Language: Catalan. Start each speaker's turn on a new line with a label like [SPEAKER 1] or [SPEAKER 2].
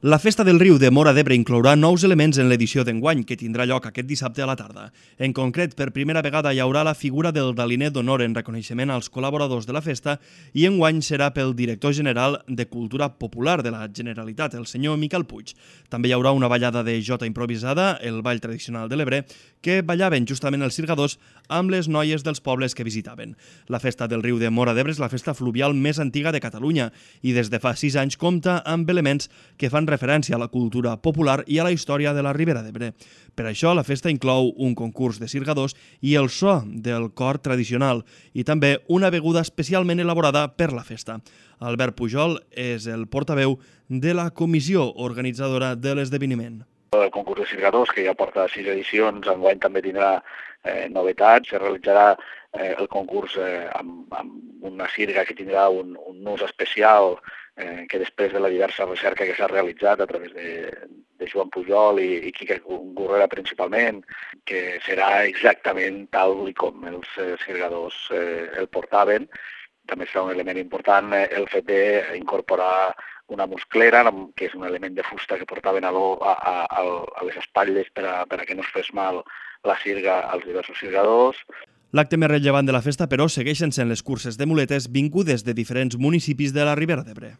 [SPEAKER 1] La Festa del Riu de Móra d'Ebre inclourà nous elements en l'edició d'enguany, que tindrà lloc aquest dissabte a la tarda. En concret, per primera vegada hi haurà la figura del Daliner d'Honor en reconeixement als col·laboradors de la festa i enguany serà pel director general de Cultura Popular de la Generalitat, el senyor Miquel Puig. També hi haurà una ballada de jota improvisada, el ball tradicional de l'Ebre, que ballaven justament els cirgadors amb les noies dels pobles que visitaven. La Festa del Riu de Móra d'Ebre és la festa fluvial més antiga de Catalunya i des de fa 6 anys compta amb elements que fan referència a la cultura popular i a la història de la Ribera d'Ebre. Per això, la festa inclou un concurs de cirgadors i el so del cor tradicional i també una beguda especialment elaborada per la festa. Albert Pujol és el portaveu de la comissió organitzadora de l'esdeveniment.
[SPEAKER 2] El concurs de cirgadors, que ja porta 6 edicions, enguany també tindrà novetats. Se realitzarà el concurs amb una sirga que tindrà un ús especial que després de la diversa recerca que s'ha realitzat a través de Joan Pujol i Quique Gurrera principalment, que serà exactament tal com els cirgadors el portaven. També serà un element important el fet d'incorporar una musclera, que és un element de fusta que portaven a les espatlles per a que no es fes mal la sirga als diversos cirgadors.
[SPEAKER 1] L'acte més rellevant de la festa, però, segueixen sent les curses de muletes vingudes de diferents municipis de la Ribera d'Ebre.